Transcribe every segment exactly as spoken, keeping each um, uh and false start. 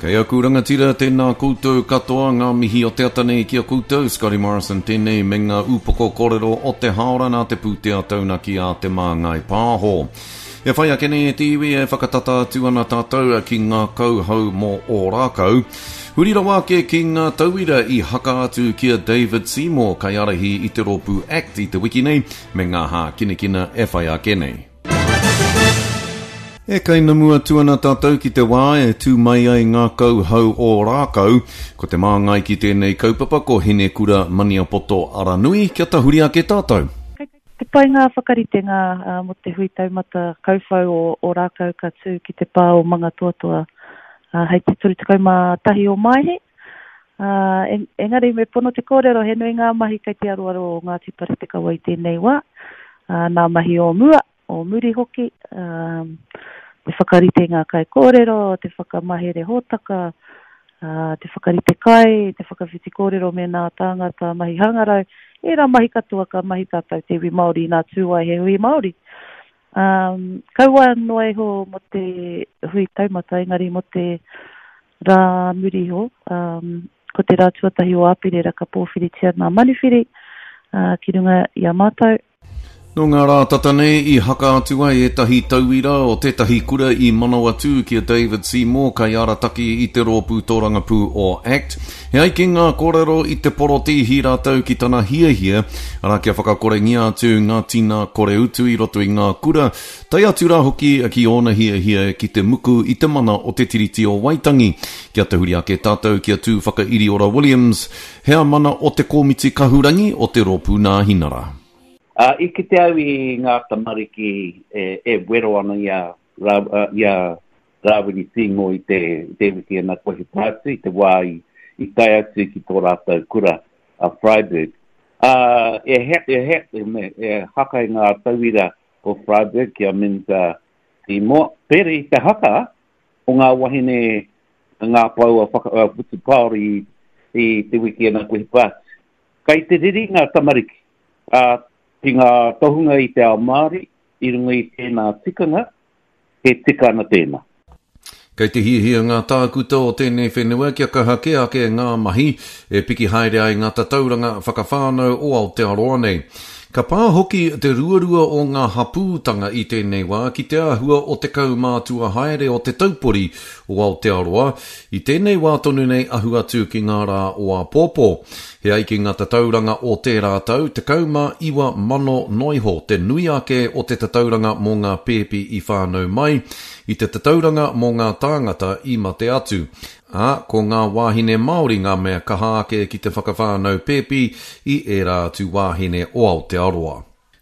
Kei aku rangatira, tēnā koutou katoa ngā mihi o te ata nei ki a koutou, Scotty Morrison tēnei me ngā upoko kōrero o te haora nā te pūtea taunaki a Te Māngai Pāho. E whai ake nei e te iwi e whakatata atu ana tātou ki ngā kauhau mō Ōrākau. Huri rawa ake ki ngā tauira i haka atu ki a David Seymour kaiārahi i te rōpū ACT i te wiki nei me ngā hākinakina e whai ake nei. E kainamu atu ana tātou ki te wā e tū mai ai ngā kauhau Ōrākau. Ko te māngai ki tēnei kaupapa ko Hinekura Maniapoto Aranui, kia tahuri ake tātou. Kei te pai ngā whakaritenga uh, mō te hui taumata kauwhau o Ōrākau ka tū ki te pā o Mangatoatoa uh, hei te toru tekau mā tahi o Maehe. Uh, en, engari me pono te kōrero, he nui ngā mahi kei te aroaro o Ngāti Paretekawa i tēnei wā, uh, nā mahi o mua, o muri hoki, um, te whakarite ngā kaikōrero, te whakamahere hōtaka, uh, te whakarite kai, te whakawhiti kōrero me nā tāngata mahi hangarau, ērā mahi katoa ka mahi tātou te iwi Māori nā tū ai he hui Māori. Um, kaua noa iho mō te hui taumata, engari mō te rā muri iho, um, ko te rā tuatahi o Āperira ka pōwhiritia nā manuwhiri uh, ki runga i a mātou. Nō ngā rā tata nei i haka atu ai ētahi tauira o tētahi kura i Manawatū ki a David Seymour kaiārataki i te rōpū tōrangapū o ACT. He ai ki ngā kōrero i te porotīhi rātou ki tana hiahia, arā kia whakakorengia atu ngā tina kore utu i roto i ngā kura, tae atu rā hoki ki ōna hiahia ki te muku i te mana o te Tiriti o Waitangi. Kia tahuri ake tātou ki a Tū Whakairiora Williams, heamana o te Komiti Kahurangi o te Rōpū Nāhinara. Uh, i kite au i ngā tamariki e, e wero ana i a, Ra, uh, i a Rāwiri Seymour i te, te wiki ana kohi pātu, i te wā i, i tae atu ki tō rātou kura a Freyberg. Uh, e, he, e, he, e, me, e haka i ngā tauira o Freyberg ki a Minta Seymour. Pere i te haka o ngā wahine ngā paua whaka, uh, whutupaoro i, i te wiki ana kohi pātu. Kai te riri ngā tamariki. Uh, ki ngā tohunga i te ao Māori, i runga i tēnā tikanga, he tika ana tēnā. Kei te hiahia ngā tākuta o tēnei whenua kia kaha kē ake ngā mahi e piki haere ai ngā tatauranga whakawhānau o Aotearoa nei. Ka pā hoki te ruarua o ngā hapūtanga i tēnei wā ki te āhua o te kaumātua haere o te taupori o Aotearoa i tēnei wā tonu nei ahu atu ki ngā rā o āpōpō. He ai ki ngā tatauranga o tērā tau, tekau mā iwa mano noiho te nui ake o te tatauranga mō ngā pēpi i whānau mai, i te tatauranga mō ngā tāngata i mate atu. Ā, ko ngā wāhine Māori ngā mea kaha ake ki te whakawhānau pēpi i ērā atu wāhine o Aotearoa.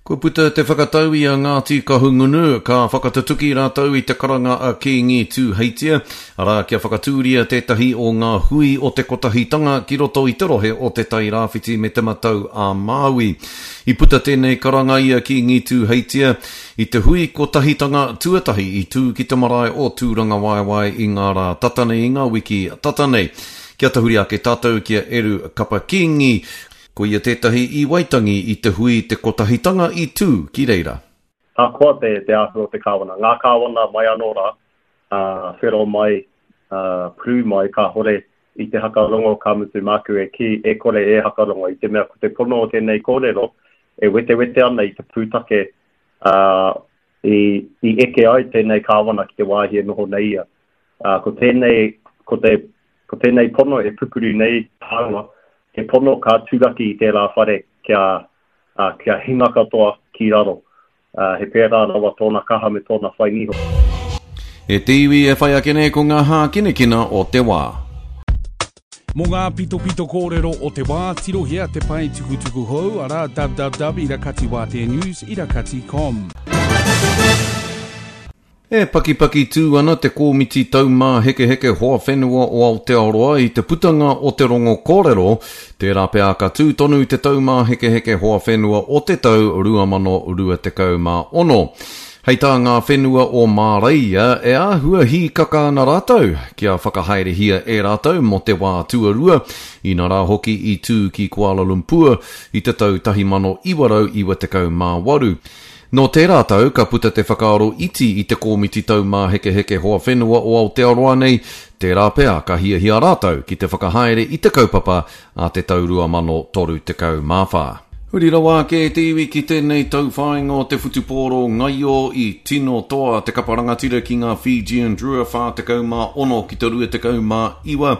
Kua puta te whakatau i a Ngāti Kahungunu, ka whakatutuki rātou i te karanga a Kīngi Tūheitia, arā kia whakatūria tētahi o ngā hui o te kotahitanga ki roto i te rohe o Te Tairāwhiti me Te Matau a Māui. I puta tēnei karanga i a Kīngi Tūheitia i te hui kotahitanga tuatahi i tū ki te marae o Tūrangawaewae i ngā rā tata nei, i ngā wiki tata nei. Kia tahuri ake tātou ki a Eru Kapa Kīngi, ko ia tētahi i Waitangi i te hui te kotahitanga i tū ki reira. Ahakoa te, te āhua o te kāwana, ngā kāwana mai anō rā, uh, whero mai, uh, pū mai, kāhore i te hakarongo ka mutu māku e kī, e kore e hakarongo, i te mea ko te pono o tēnei kōrero, e wetewete ana i te pūtake uh, i, i eke ai tēnei kāwana ki te wāhi e noho nei ia. Uh, ko tēnei, ko te, ko tēnei pono e pupuru nei tāua, he pono ka turaki i tērā whare kia, uh, kia hinga katoa ki raro. Uh, he pērā rawa tōna kaha me tōna whai niho. E te iwi e whai ake nei ko ngā hākinakina o te wā. Mō ngā pitopito kōrero o te wā, tirohia te pae tukutuku hou, arā www irakati wātea news irakati com. E pakipaki tū ana te Komiti Taumāhekeheke Hoa Whenua o Aotearoa i te putanga o te rongo kōrero, tērā pea ka tū tonu te Taumāhekeheke Hoa Whenua o te tau rua mano rua tekau mā ono. Hei tā ngā whenua o Māreia e āhua hīkaka ana rātou kia whakahaerehia e rātou mō te wā tuarua, ina rā hoki i tū ki Kuala Lumpur i te tau tahi mano iwa rau iwa tekau mā waru. Nō tērā tau ka puta te whakaaro iti i te Kōmiti Taumāhekeheke Hoa Whenua o Aotearoa nei, tērā pea ka hiahia rātou ki te whakahaere i te kaupapa a te tau rua mano toru tekau mā whā. Huri rawa ake te iwi ki tēnei tauwhāinga o te whutupōro ngaio i tino toa te kapa rangatira ki ngā Fijian Drua whā tekau mā ono ki te rua tekau mā iwa.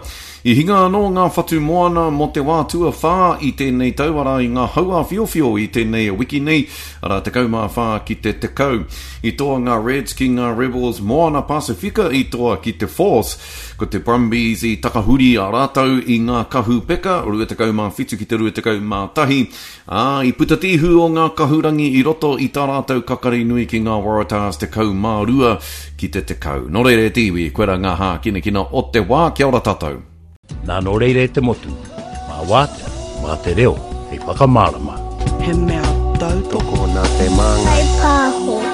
I hinga anō ngā whatu moana mō te wā tuawhā i tēnei tau, arā i ngā hauāwhiowhio i tēnei wiki nei, arā tekau mā whā ki te tekau. I toa ngā Reds ki ngā Rebels, Moana Pasifika i toa ki te Force. Ko te Brumbies i takahuri a rātou i ngā kahu peka, rua tekau mā whitu ki te rua tekau mā tahi, ā, i puta te ihu o ngā kahurangi i roto i tā rātou kakari nui ki ngā Waratahs tekau mā rua ki te tekau. Nō reira e te iwi, koirā ngā hākinakina o te wā, kia ora tātou. Nā nō reira e te motu, mā wātea, mā te reo hei whakamārama. He mea tautoko. Tokona te māngai. Whai pāho.